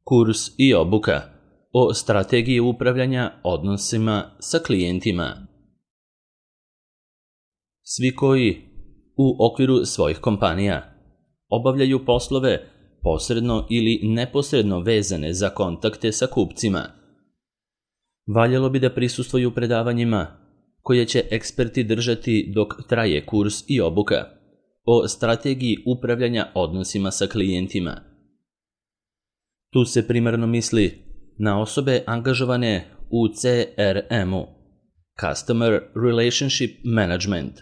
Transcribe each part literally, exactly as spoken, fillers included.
Kurs i obuka o strategiji upravljanja odnosima sa klijentima. Svi koji u okviru svojih kompanija obavljaju poslove posredno ili neposredno vezane za kontakte sa kupcima, valjalo bi da prisustvuju predavanjima koje će eksperti držati dok traje kurs i obuka o strategiji upravljanja odnosima sa klijentima. Tu se primarno misli na osobe angažovane u C R M-u, Customer Relationship Management,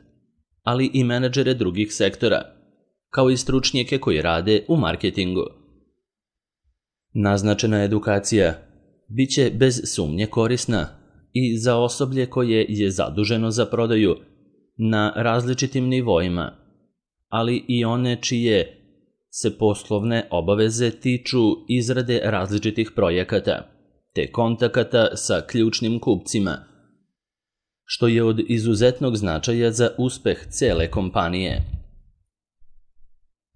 ali i menadžere drugih sektora, kao i stručnjake koji rade u marketingu. Naznačena edukacija biće bez sumnje korisna i za osoblje koje je zaduženo za prodaju na različitim nivoima, ali i one čije se poslovne obaveze tiču izrade različitih projekata te kontakata sa ključnim kupcima, što je od izuzetnog značaja za uspeh cele kompanije.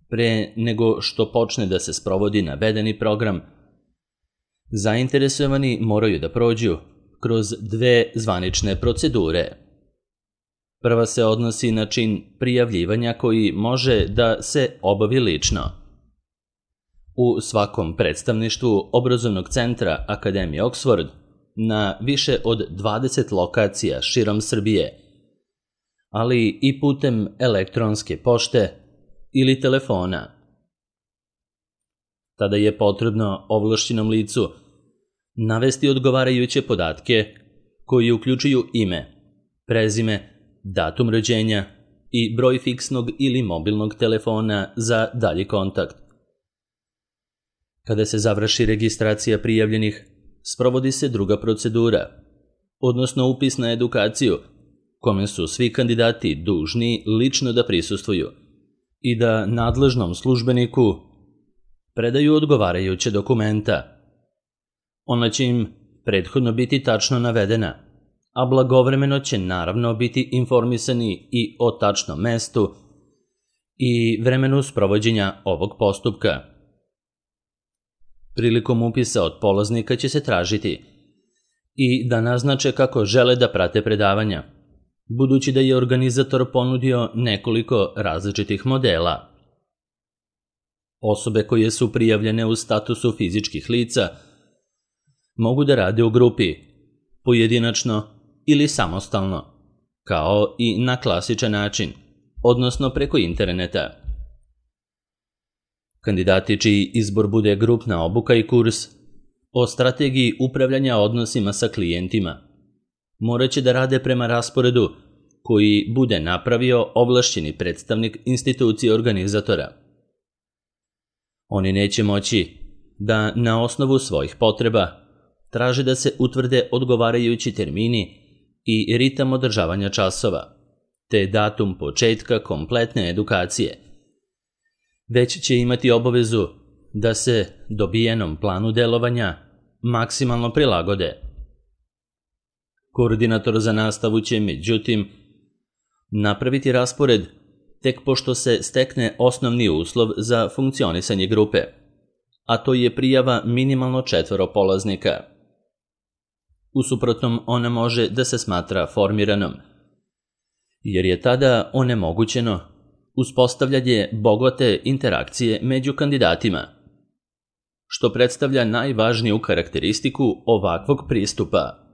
Pre nego što počne da se sprovodi navedeni program, zainteresovani moraju da prođu kroz dve zvanične procedure. Prva se odnosi na čin prijavljivanja koji može da se obavi lično. U svakom predstavništvu obrazovnog centra Akademije Oxford na više od dvadeset lokacija širom Srbije, ali i putem elektronske pošte ili telefona. Tada je potrebno ovlašćenom licu navesti odgovarajuće podatke koji uključuju ime, prezime, datum rođenja i broj fiksnog ili mobilnog telefona za dalji kontakt. Kada se završi registracija prijavljenih, sprovodi se druga procedura, odnosno upis na edukaciju, kome su svi kandidati dužni lično da prisustvuju i da nadležnom službeniku predaju odgovarajuće dokumenta. Ona će im prethodno biti tačno navedena, a blagovremeno će naravno biti informisani i o tačnom mestu i vremenu sprovođenja ovog postupka. Prilikom upisa od polaznika će se tražiti i da naznače kako žele da prate predavanja, budući da je organizator ponudio nekoliko različitih modela. Osobe koje su prijavljene u statusu fizičkih lica mogu da rade u grupi, pojedinačno ili samostalno, kao i na klasičan način, odnosno preko interneta. Kandidati čiji izbor bude grupna obuka i kurs o strategiji upravljanja odnosima sa klijentima morat će da rade prema rasporedu koji bude napravio ovlašćeni predstavnik institucije organizatora. Oni neće moći da na osnovu svojih potreba traže da se utvrde odgovarajući termini i ritam održavanja časova, te datum početka kompletne edukacije, već će imati obavezu da se dobijenom planu delovanja maksimalno prilagode. Koordinator za nastavu će, međutim, napraviti raspored tek pošto se stekne osnovni uslov za funkcionisanje grupe, a to je prijava minimalno četvoro polaznika. U suprotnom, ona može da se smatra formiranom, jer je tada onemogućeno uspostavljanje bogate interakcije među kandidatima, što predstavlja najvažniju karakteristiku ovakvog pristupa.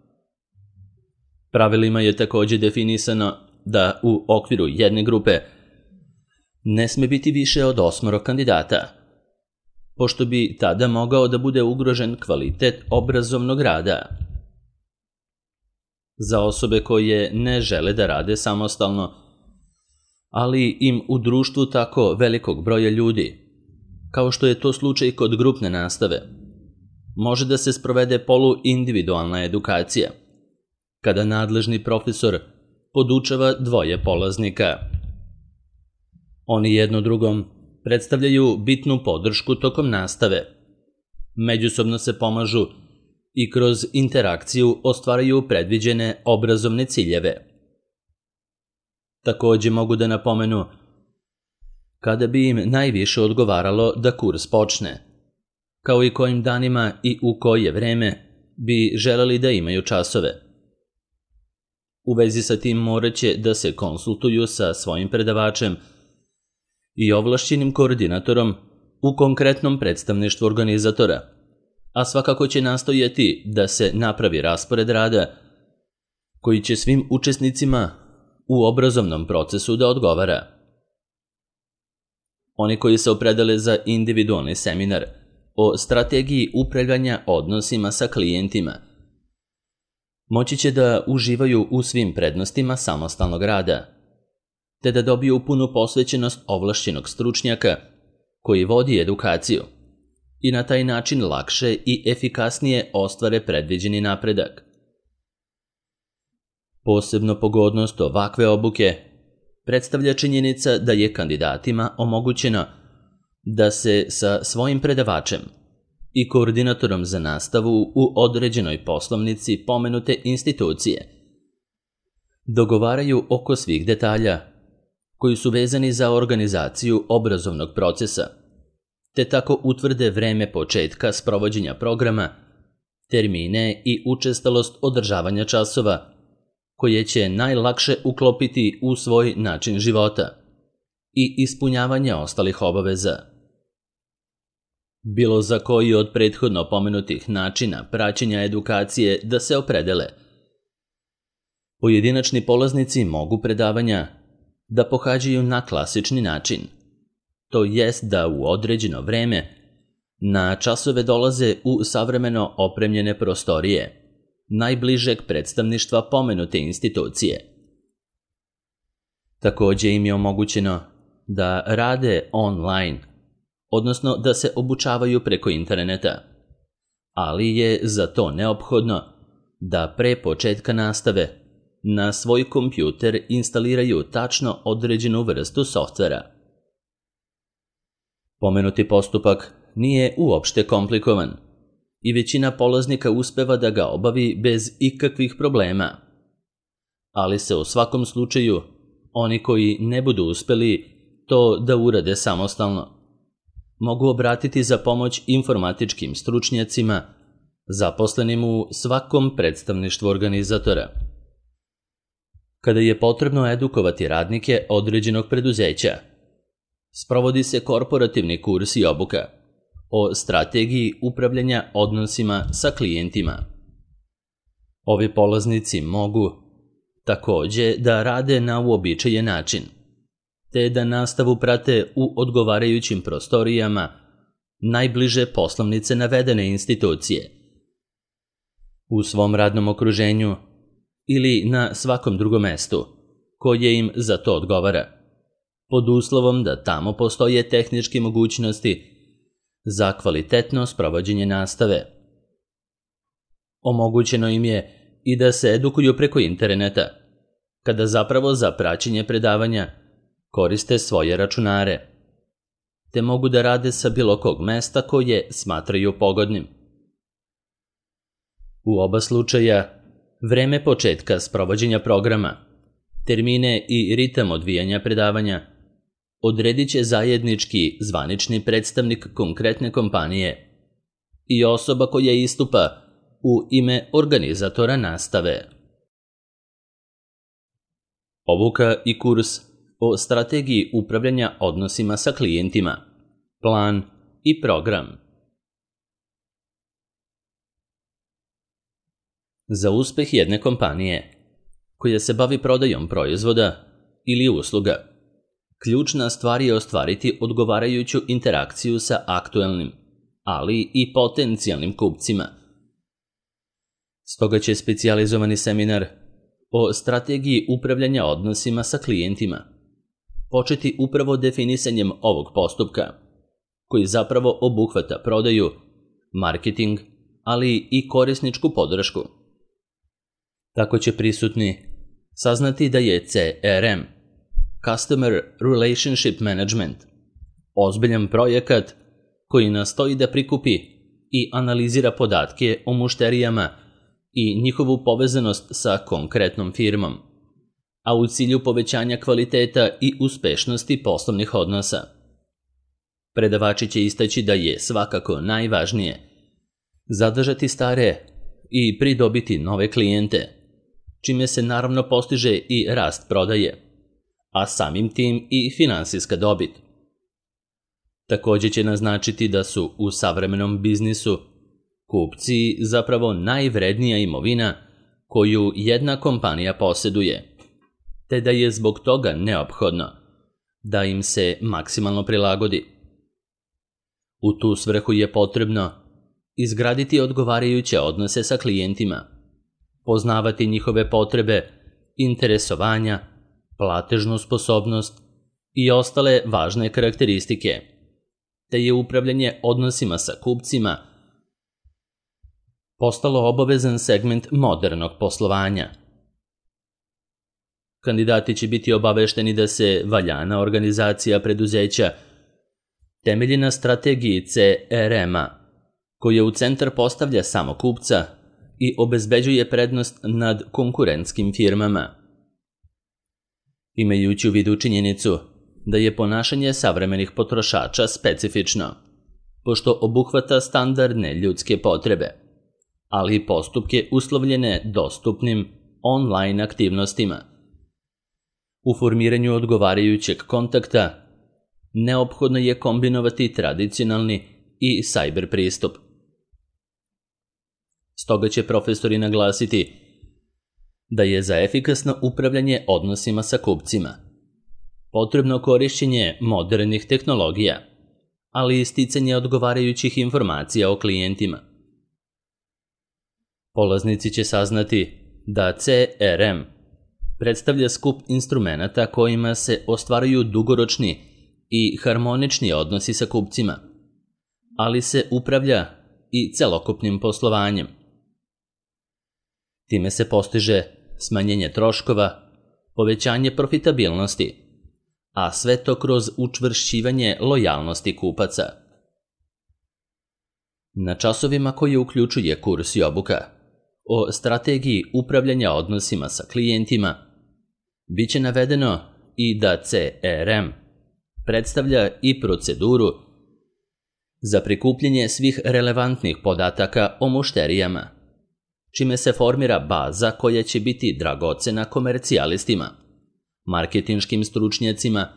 Pravilima je takođe definisano da u okviru jedne grupe ne sme biti više od osmoro kandidata, pošto bi tada mogao da bude ugrožen kvalitet obrazovnog rada. Za osobe koje ne žele da rade samostalno, ali im u društvu tako velikog broja ljudi, kao što je to slučaj kod grupne nastave, može da se sprovede poluindividualna edukacija, kada nadležni profesor podučava dvoje polaznika. Oni jedno drugom predstavljaju bitnu podršku tokom nastave, međusobno se pomažu i kroz interakciju ostvaraju predviđene obrazovne ciljeve. Takođe mogu da napomenu kada bi im najviše odgovaralo da kurs počne, kao i kojim danima i u koje vreme bi želeli da imaju časove. U vezi sa tim morat će da se konsultuju sa svojim predavačem i ovlašćenim koordinatorom u konkretnom predstavništvu organizatora, a svakako će nastojati da se napravi raspored rada koji će svim učesnicima u obrazovnom procesu da odgovara. Oni koji se opredele za individualni seminar o strategiji upravljanja odnosima sa klijentima moći će da uživaju u svim prednostima samostalnog rada, te da dobiju punu posvećenost ovlašćenog stručnjaka koji vodi edukaciju i na taj način lakše i efikasnije ostvare predviđeni napredak. Posebno pogodnost ovakve obuke predstavlja činjenica da je kandidatima omogućeno da se sa svojim predavačem i koordinatorom za nastavu u određenoj poslovnici pomenute institucije dogovaraju oko svih detalja koji su vezani za organizaciju obrazovnog procesa, te tako utvrde vreme početka sprovođenja programa, termine i učestalost održavanja časova, koje će najlakše uklopiti u svoj način života i ispunjavanje ostalih obaveza. Bilo za koji od prethodno pomenutih načina praćenja edukacije da se opredele. Pojedinačni polaznici mogu predavanja da pohađaju na klasični način, to jest da u određeno vreme na časove dolaze u savremeno opremljene prostorije najbližeg predstavništva pomenute institucije. Takođe im je omogućeno da rade online, odnosno da se obučavaju preko interneta, ali je za to neophodno da pre početka nastave na svoj kompjuter instaliraju tačno određenu vrstu softvera. Pomenuti postupak nije uopšte komplikovan i većina polaznika uspeva da ga obavi bez ikakvih problema, ali se u svakom slučaju oni koji ne budu uspeli to da urade samostalno mogu obratiti za pomoć informatičkim stručnjacima zaposlenim u svakom predstavništvu organizatora. Kada je potrebno edukovati radnike određenog preduzeća, sprovodi se korporativni kurs i obuka o strategiji upravljanja odnosima sa klijentima. Ovi polaznici mogu takođe da rade na uobičajen način, te da nastavu prate u odgovarajućim prostorijama najbliže poslovnice navedene institucije, u svom radnom okruženju ili na svakom drugom mestu koje im za to odgovara, pod uslovom da tamo postoje tehničke mogućnosti za kvalitetno sprovođenje nastave. Omogućeno im je i da se edukuju preko interneta, kada zapravo za praćenje predavanja koriste svoje računare, te mogu da rade sa bilo kog mesta koje smatraju pogodnim. U oba slučaja, vreme početka sprovođenja programa, termine i ritam odvijanja predavanja odredit će zajednički zvanični predstavnik konkretne kompanije i osoba koja istupa u ime organizatora nastave. Obuka i kurs o strategiji upravljanja odnosima sa klijentima, plan i program. Za uspeh jedne kompanije koja se bavi prodajom proizvoda ili usluga, ključna stvar je ostvariti odgovarajuću interakciju sa aktuelnim, ali i potencijalnim kupcima. Stoga će specijalizovani seminar o strategiji upravljanja odnosima sa klijentima početi upravo definisanjem ovog postupka, koji zapravo obuhvata prodaju, marketing, ali i korisničku podršku. Tako će prisutni saznati da je C R M, Customer Relationship Management, ozbiljan projekat koji nastoji da prikupi i analizira podatke o mušterijama i njihovu povezanost sa konkretnom firmom, a u cilju povećanja kvaliteta i uspešnosti poslovnih odnosa. Predavači će istaći da je svakako najvažnije zadržati stare i pridobiti nove klijente, čime se naravno postiže i rast prodaje, a samim tim i finansijska dobit. Također će naznačiti da su u savremenom biznisu kupci zapravo najvrednija imovina koju jedna kompanija posjeduje, te da je zbog toga neophodno da im se maksimalno prilagodi. U tu svrhu je potrebno izgraditi odgovarajuće odnose sa klijentima, poznavati njihove potrebe, interesovanja, platežnu sposobnost i ostale važne karakteristike, te je upravljanje odnosima sa kupcima postalo obavezan segment modernog poslovanja. Kandidati će biti obavešteni da se valjana organizacija preduzeća temelji na strategiji C R M-a, koja u centar postavlja samo kupca i obezbeđuje prednost nad konkurentskim firmama. Imajući u vidu činjenicu da je ponašanje savremenih potrošača specifično, pošto obuhvata standardne ljudske potrebe, ali i postupke uslovljene dostupnim online aktivnostima. U formiranju odgovarajućeg kontakta neophodno je kombinovati tradicionalni i cyber pristup. Stoga će profesori naglasiti da je za efikasno upravljanje odnosima sa kupcima potrebno korišćenje modernih tehnologija, ali i sticanje odgovarajućih informacija o klijentima. Polaznici će saznati da C R M predstavlja skup instrumenata kojima se ostvaruju dugoročni i harmonični odnosi sa kupcima, ali se upravlja i celokupnim poslovanjem. Time se postiže smanjenje troškova, povećanje profitabilnosti, a sve to kroz učvršćivanje lojalnosti kupaca. Na časovima koje uključuje kurs i obuka o strategiji upravljanja odnosima sa klijentima, bit će navedeno i da C R M predstavlja i proceduru za prikupljanje svih relevantnih podataka o mušterijama, čime se formira baza koja će biti dragocena komercijalistima, marketinškim stručnjacima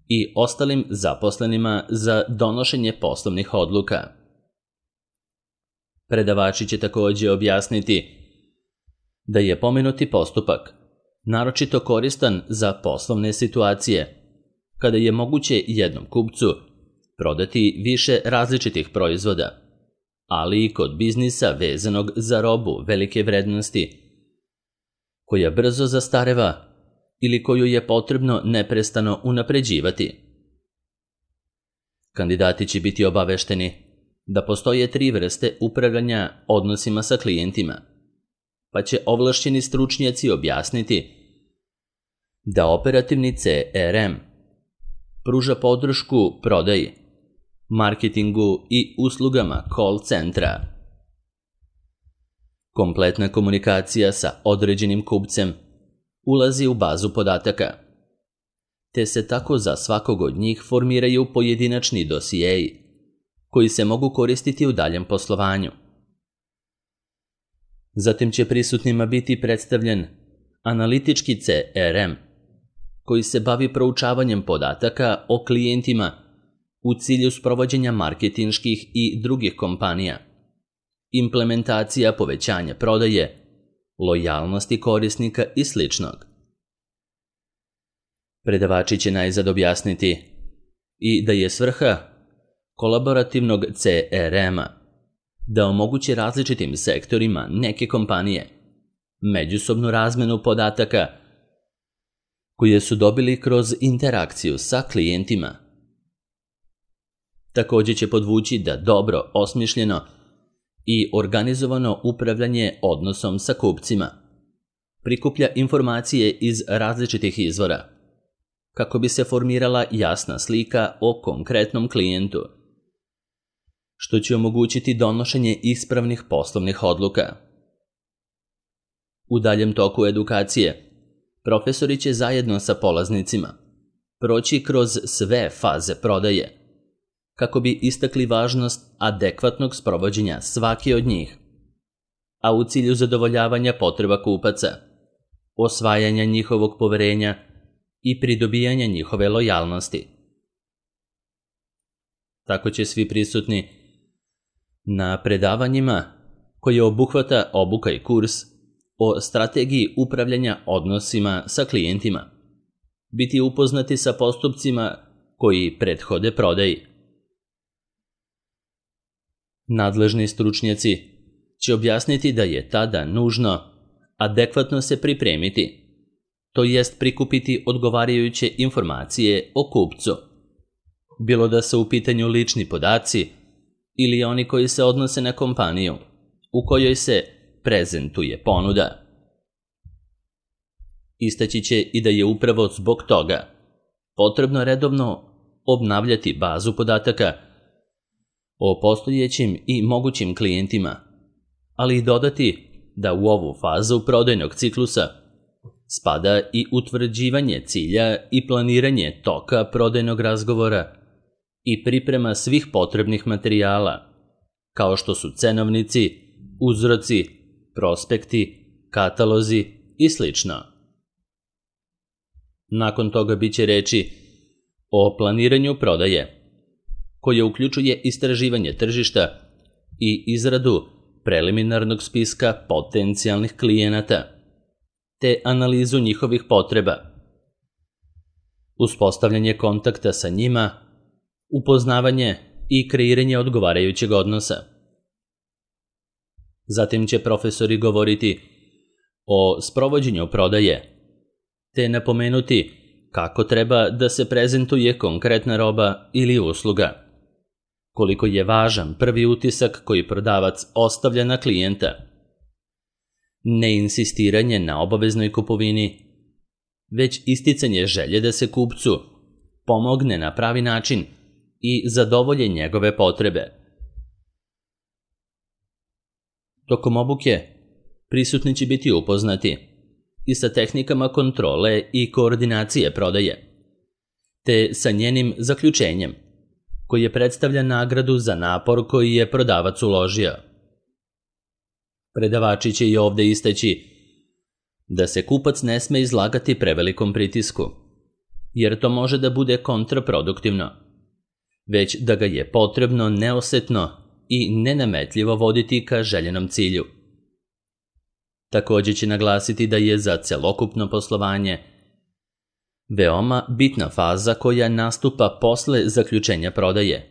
i ostalim zaposlenima za donošenje poslovnih odluka. Predavači će također objasniti da je pomenuti postupak naročito koristan za poslovne situacije, kada je moguće jednom kupcu prodati više različitih proizvoda, ali i kod biznisa vezanog za robu velike vrednosti, koja brzo zastareva ili koju je potrebno neprestano unapređivati. Kandidati će biti obavešteni da postoje tri vrste upravljanja odnosima sa klijentima, pa će ovlašćeni stručnjaci objasniti da operativni C R M pruža podršku prodaji, marketingu i uslugama call centra. Kompletna komunikacija sa određenim kupcem ulazi u bazu podataka, te se tako za svakog od njih formiraju pojedinačni dosijeji koji se mogu koristiti u daljem poslovanju. Zatim će prisutnima biti predstavljen analitički C R M, koji se bavi proučavanjem podataka o klijentima u cilju sprovođenja marketinških i drugih kompanija, implementacija povećanja prodaje, lojalnosti korisnika i sl. Predavači će najzad objasniti i da je svrha kolaborativnog C R M-a da omogući različitim sektorima neke kompanije međusobnu razmenu podataka koje su dobili kroz interakciju sa klijentima. Također će podvući da dobro osmišljeno i organizovano upravljanje odnosom sa kupcima prikuplja informacije iz različitih izvora, kako bi se formirala jasna slika o konkretnom klijentu, što će omogućiti donošenje ispravnih poslovnih odluka. U daljem toku edukacije, profesori će zajedno sa polaznicima proći kroz sve faze prodaje, kako bi istakli važnost adekvatnog sprovođenja svake od njih, a u cilju zadovoljavanja potreba kupaca, osvajanja njihovog poverenja i pridobijanja njihove lojalnosti. Tako će svi prisutni na predavanjima koje obuhvata obuka i kurs o strategiji upravljanja odnosima sa klijentima biti upoznati sa postupcima koji prethode prodaji. Nadležni stručnjaci će objasniti da je tada nužno adekvatno se pripremiti, to jest prikupiti odgovarajuće informacije o kupcu, bilo da su u pitanju lični podaci ili oni koji se odnose na kompaniju u kojoj se prezentuje ponuda. Istaći će i da je upravo zbog toga potrebno redovno obnavljati bazu podataka o postojećim i mogućim klijentima, ali i dodati da u ovu fazu prodajnog ciklusa spada i utvrđivanje cilja i planiranje toka prodajnog razgovora i priprema svih potrebnih materijala, kao što su cenovnici, uzroci, prospekti, katalozi i slično. Nakon toga biće reči o planiranju prodaje, koje uključuje istraživanje tržišta i izradu preliminarnog spiska potencijalnih klijenata, te analizu njihovih potreba, uspostavljanje kontakta sa njima, upoznavanje i kreiranje odgovarajućeg odnosa. Zatim će profesori govoriti o sprovođenju prodaje, te napomenuti kako treba da se prezentuje konkretna roba ili usluga, koliko je važan prvi utisak koji prodavac ostavlja na klijenta, neinsistiranje na obaveznoj kupovini, već isticanje želje da se kupcu pomogne na pravi način i zadovolje njegove potrebe. Tokom obuke prisutni će biti upoznati i sa tehnikama kontrole i koordinacije prodaje, te sa njenim zaključenjem, koji je predstavlja nagradu za napor koji je prodavac uložio. Predavači će i ovde istaći da se kupac ne sme izlagati prevelikom pritisku, jer to može da bude kontraproduktivno, već da ga je potrebno neosetno i nenametljivo voditi ka željenom cilju. Također će naglasiti da je za celokupno poslovanje veoma bitna faza koja nastupa posle zaključenja prodaje,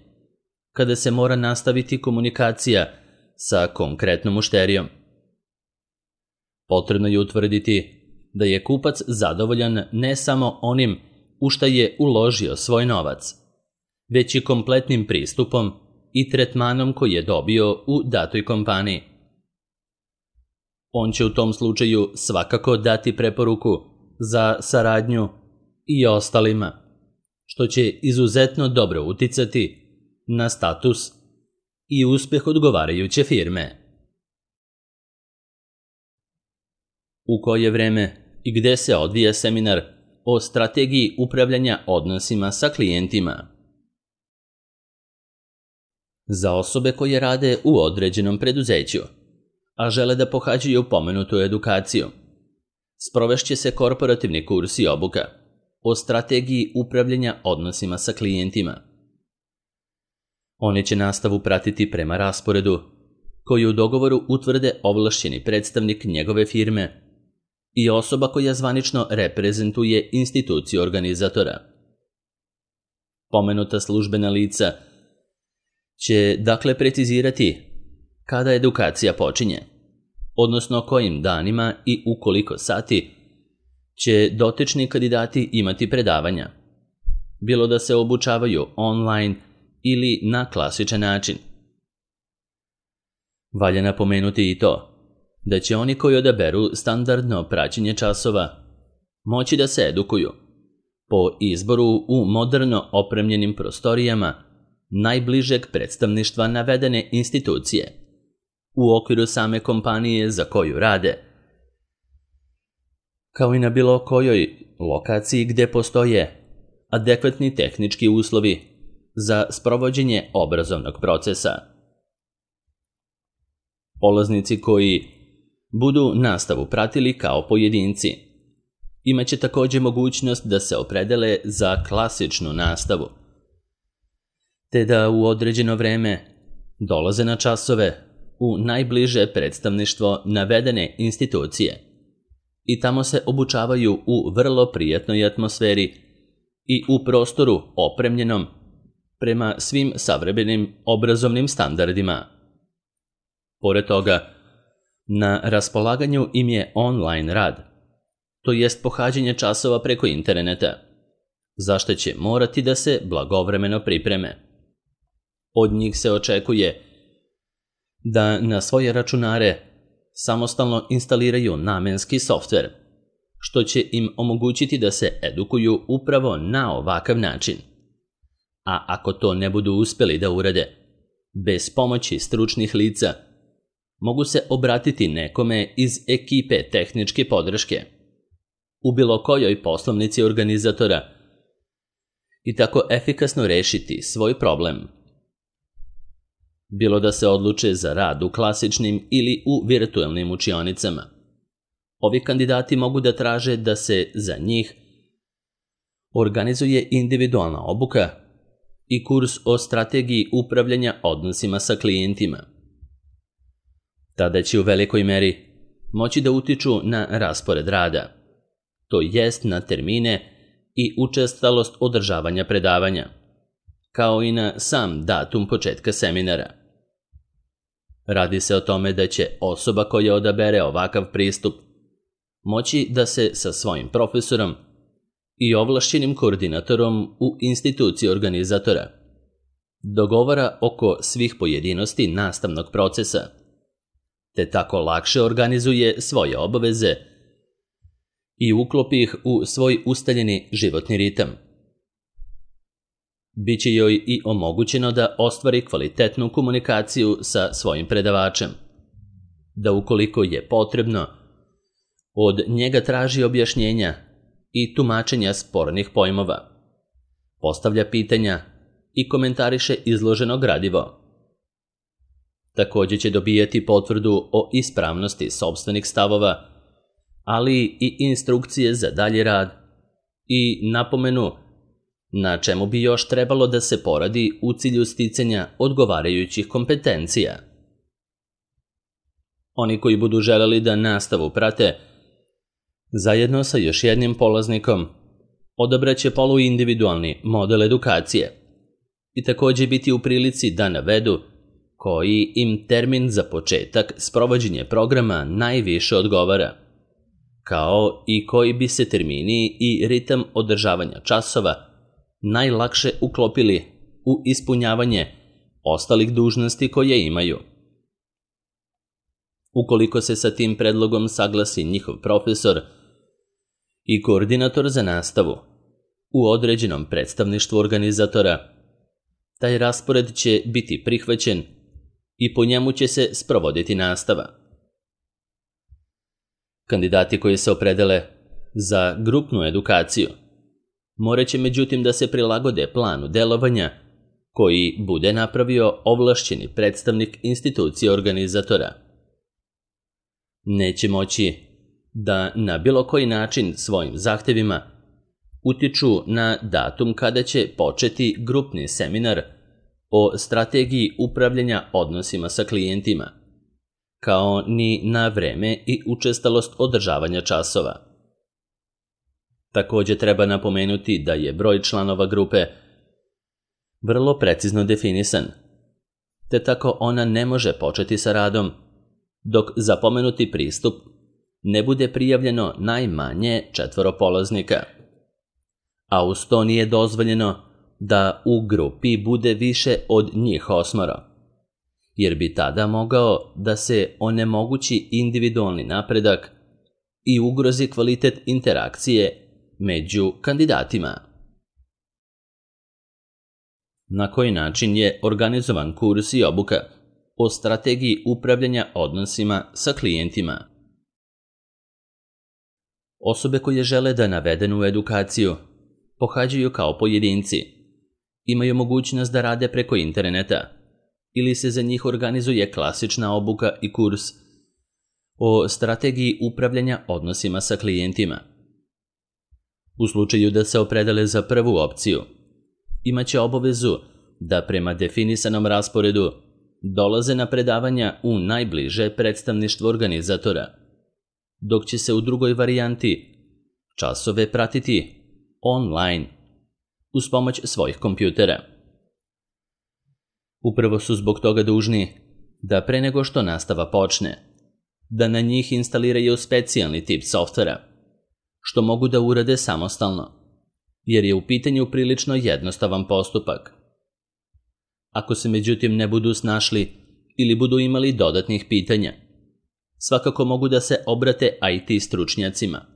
kada se mora nastaviti komunikacija sa konkretnom mušterijom. Potrebno je utvrditi da je kupac zadovoljan ne samo onim u šta je uložio svoj novac, već i kompletnim pristupom i tretmanom koji je dobio u datoj kompaniji. On će u tom slučaju svakako dati preporuku za saradnju i ostalima, što će izuzetno dobro uticati na status i uspeh odgovarajuće firme. U koje vreme i gde se odvija seminar o strategiji upravljanja odnosima sa klijentima? Za osobe koje rade u određenom preduzeću, a žele da pohađaju pomenutu edukaciju, sprovešće se korporativni kurs i obuka o strategiji upravljanja odnosima sa klijentima. Oni će nastavu pratiti prema rasporedu, koji u dogovoru utvrde ovlašćeni predstavnik njegove firme i osoba koja zvanično reprezentuje instituciju organizatora. Pomenuta službena lica će dakle precizirati kada edukacija počinje, odnosno kojim danima i u koliko sati će dotični kandidati imati predavanja, bilo da se obučavaju online ili na klasičan način. Valja napomenuti i to da će oni koji odaberu standardno praćenje časova moći da se edukuju po izboru u moderno opremljenim prostorijama najbližeg predstavništva navedene institucije u okviru same kompanije za koju rade, kao i na bilo kojoj lokaciji gde postoje adekvatni tehnički uslovi za sprovođenje obrazovnog procesa. Polaznici koji budu nastavu pratili kao pojedinci imaće također mogućnost da se opredele za klasičnu nastavu, te da u određeno vreme dolaze na časove u najbliže predstavništvo navedene institucije i tamo se obučavaju u vrlo prijatnoj atmosferi i u prostoru opremljenom prema svim savremenim obrazovnim standardima. Pored toga, na raspolaganju im je online rad, to jest pohađanje časova preko interneta, za što će morati da se blagovremeno pripreme. Od njih se očekuje da na svoje računare samostalno instaliraju namenski softver, što će im omogućiti da se edukuju upravo na ovakav način. A ako to ne budu uspjeli da urade, bez pomoći stručnih lica, mogu se obratiti nekome iz ekipe tehničke podrške u bilo kojoj poslovnici organizatora i tako efikasno rešiti svoj problem. Bilo da se odluče za rad u klasičnim ili u virtualnim učionicama, ovi kandidati mogu da traže da se za njih organizuje individualna obuka i kurs o strategiji upravljanja odnosima sa klijentima. Tada će u velikoj meri moći da utiču na raspored rada, to jest na termine i učestalost održavanja predavanja, kao i na sam datum početka seminara. Radi se o tome da će osoba koja odabere ovakav pristup moći da se sa svojim profesorom i ovlašćenim koordinatorom u instituciji organizatora dogovara oko svih pojedinosti nastavnog procesa, te tako lakše organizuje svoje obaveze i uklopi ih u svoj ustaljeni životni ritam. Biće joj i omogućeno da ostvari kvalitetnu komunikaciju sa svojim predavačem, da ukoliko je potrebno, od njega traži objašnjenja i tumačenja spornih pojmova, postavlja pitanja i komentariše izloženo gradivo. Također će dobijati potvrdu o ispravnosti sopstvenih stavova, ali i instrukcije za dalji rad i napomenu na čemu bi još trebalo da se poradi u cilju sticanja odgovarajućih kompetencija. Oni koji budu želeli da nastavu prate, zajedno sa još jednim polaznikom, odabraće poluindividualni model edukacije i također biti u prilici da navedu koji im termin za početak sprovođenja programa najviše odgovara, kao i koji bi se termini i ritam održavanja časova najlakše uklopili u ispunjavanje ostalih dužnosti koje imaju. Ukoliko se sa tim predlogom saglasi njihov profesor i koordinator za nastavu u određenom predstavništvu organizatora, taj raspored će biti prihvaćen i po njemu će se sprovoditi nastava. Kandidati koji se opredele za grupnu edukaciju morat će međutim da se prilagode planu delovanja koji bude napravio ovlašćeni predstavnik institucije organizatora. Neće moći da na bilo koji način svojim zahtevima utiču na datum kada će početi grupni seminar o strategiji upravljanja odnosima sa klijentima, kao ni na vreme i učestalost održavanja časova. Također treba napomenuti da je broj članova grupe vrlo precizno definisan, te tako ona ne može početi sa radom dok za pomenuti pristup ne bude prijavljeno najmanje četvoro polaznika, a uz to nije dozvoljeno da u grupi bude više od njih osmoro, jer bi tada mogao da se onemogući individualni napredak i ugrozi kvalitet interakcije među kandidatima. Na koji način je organizovan kurs i obuka o strategiji upravljanja odnosima sa klijentima? Osobe koje žele da navedenu edukaciju pohađaju kao pojedinci imaju mogućnost da rade preko interneta ili se za njih organizuje klasična obuka i kurs o strategiji upravljanja odnosima sa klijentima. U slučaju da se opredele za prvu opciju, imaće obavezu da prema definisanom rasporedu dolaze na predavanja u najbliže predstavništvo organizatora, dok će se u drugoj varijanti časove pratiti online uz pomoć svojih kompjutera. Upravo su zbog toga dužni da pre nego što nastava počne, da na njih instaliraju specijalni tip softvera, što mogu da urade samostalno, jer je u pitanju prilično jednostavan postupak. Ako se međutim ne budu snašli ili budu imali dodatnih pitanja, svakako mogu da se obrate I T stručnjacima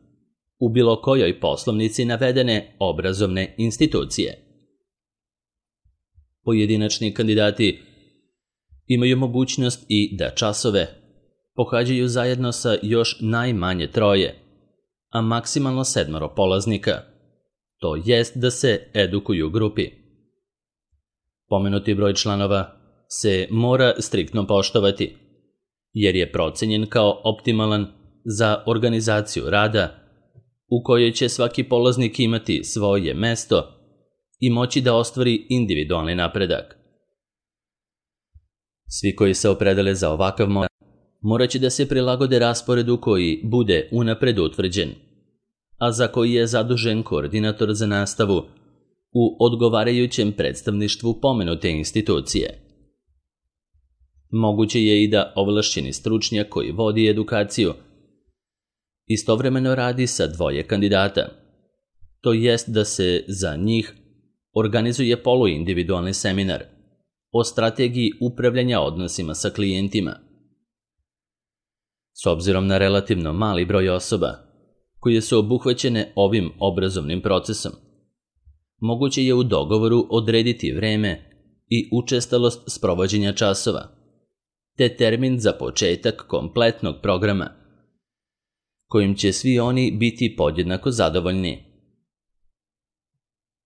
u bilo kojoj poslovnici navedene obrazovne institucije. Pojedinačni kandidati imaju mogućnost i da časove pohađaju zajedno sa još najmanje troje, a maksimalno sedmoro polaznika, to jest da se edukuju u grupi. Pomenuti broj članova se mora striktno poštovati, jer je procenjen kao optimalan za organizaciju rada u kojoj će svaki polaznik imati svoje mesto i moći da ostvari individualni napredak. Svi koji se opredele za ovakav model morat će da se prilagode rasporedu koji bude unapred utvrđen, a za koji je zadužen koordinator za nastavu u odgovarajućem predstavništvu pomenute institucije. Moguće je i da ovlašćeni stručnjak koji vodi edukaciju istovremeno radi sa dvoje kandidata, to jest da se za njih organizuje poluindividualni seminar o strategiji upravljanja odnosima sa klijentima. S obzirom na relativno mali broj osoba koje su obuhvaćene ovim obrazovnim procesom, moguće je u dogovoru odrediti vreme i učestalost sprovođenja časova, te termin za početak kompletnog programa, kojim će svi oni biti podjednako zadovoljni.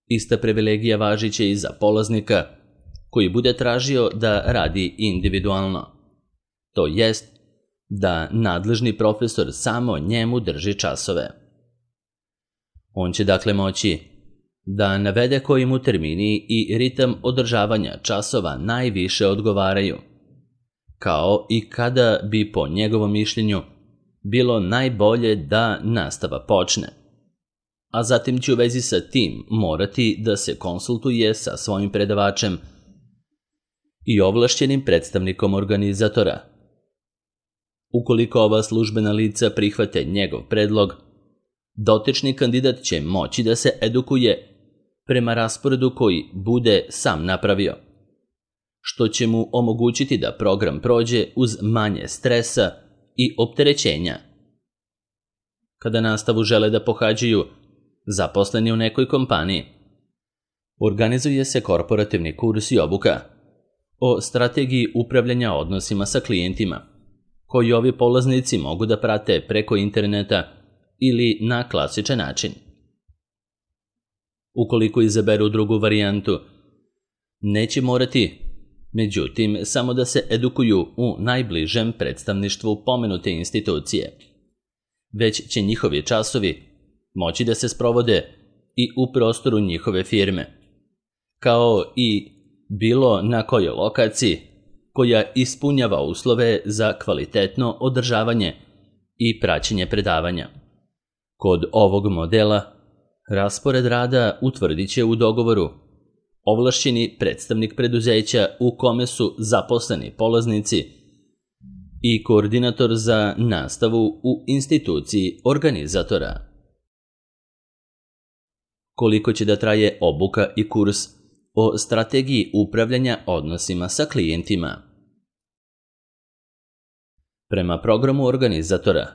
Ista privilegija važit će i za polaznika koji bude tražio da radi individualno, to jest da nadležni profesor samo njemu drži časove. On će dakle moći da navede koji mu termini i ritam održavanja časova najviše odgovaraju, kao i kada bi po njegovom mišljenju bilo najbolje da nastava počne, a zatim će u vezi sa tim morati da se konsultuje sa svojim predavačem i ovlašćenim predstavnikom organizatora. Ukoliko ova službena lica prihvate njegov predlog, dotični kandidat će moći da se edukuje prema rasporedu koji bude sam napravio, što će mu omogućiti da program prođe uz manje stresa i opterećenja. Kada nastavu žele da pohađaju zaposleni u nekoj kompaniji, organizuje se korporativni kurs i obuka o strategiji upravljanja odnosima sa klijentima, koji ovi polaznici mogu da prate preko interneta ili na klasičan način. Ukoliko izaberu drugu varijantu, neće morati, međutim, samo da se edukuju u najbližem predstavništvu pomenute institucije, već će njihovi časovi moći da se sprovode i u prostoru njihove firme, kao i bilo na kojoj lokaciji koja ispunjava uslove za kvalitetno održavanje i praćenje predavanja. Kod ovog modela raspored rada utvrdit će u dogovoru ovlašćeni predstavnik preduzeća u kome su zaposleni polaznici i koordinator za nastavu u instituciji organizatora. Koliko će da traje obuka i kurs o strategiji upravljanja odnosima sa klijentima? Prema programu organizatora,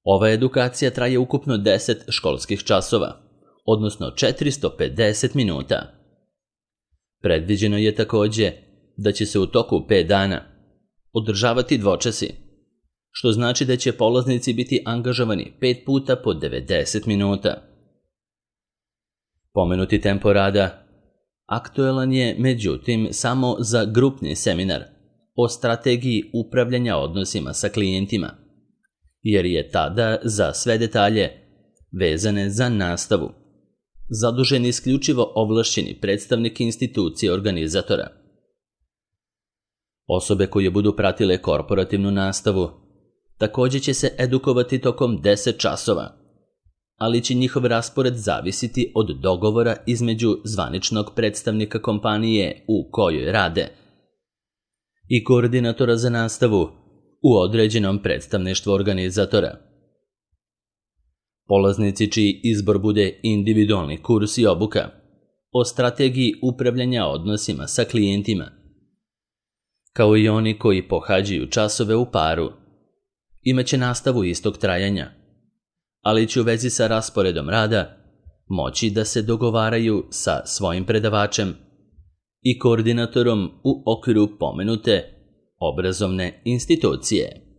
ova edukacija traje ukupno deset školskih časova, odnosno četiristo pedeset minuta. Predviđeno je takođe da će se u toku pet dana održavati dvočasi, što znači da će polaznici biti angažovani pet puta po devedeset minuta. Pomenuti tempo rada, Aktualan je, međutim, samo za grupni seminar o strategiji upravljanja odnosima sa klijentima, jer je tada za sve detalje vezane za nastavu zadužen isključivo ovlašćeni predstavnik institucije organizatora. Osobe koje budu pratile korporativnu nastavu također će se edukovati tokom deset časova, ali će njihov raspored zavisiti od dogovora između zvaničnog predstavnika kompanije u kojoj rade i koordinatora za nastavu u određenom predstavništvu organizatora. Polaznici čiji izbor bude individualni kurs i obuka o strategiji upravljanja odnosima sa klijentima, kao i oni koji pohađaju časove u paru, imaće nastavu istog trajanja, ali će u vezi sa rasporedom rada moći da se dogovaraju sa svojim predavačem i koordinatorom u okviru pomenute obrazovne institucije.